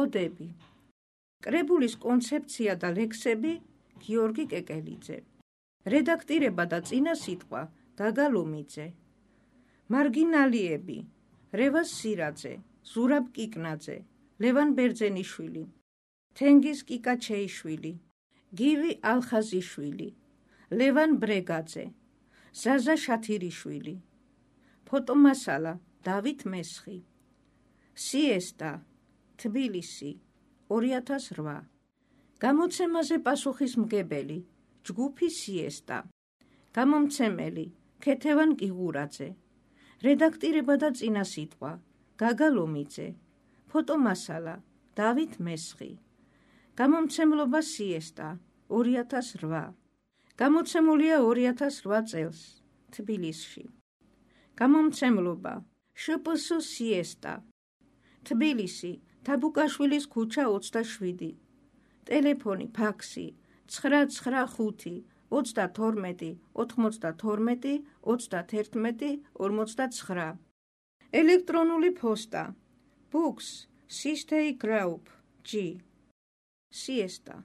ოდები. კრებულის კონცეფცია და ლექსები გიორგი კეკელიძე. რედაქტირება და წინა სიტყვა გაგა ლომიძე. მარგინალიები რევაზ სირაძე, ზურაბ კიკნაძე, ლევან ბერძენიშვილი, თენგიზ კიკაჩეიშვილი, გივი ალხაზიშვილი, ლევან ბრეგაძე, ზაზა შათირიშვილი. ფოტომასალა დავით მესხი. სიესტა თბილისი 2008. გამოცემაზე პასუხისმგებელი ჯგუფი სიესტა. გამომცემელი ქეთევან კიღურაძე. რედაქტირება და წინა სიტყვა გაგა ლომიძე. ფოტომასალა დავით მესხი. გამომცემლობა სიესტა 2008. გამოცემულია 2008 წელს თბილისში. გამომცემლობა შპს სიესტა. თბილისი თაბუკაშვილის ქუჩა 27. ტელეფონი ფაქსი 995 32 92 31 59. ელექტრონული ფოსტა books sistei group g siesta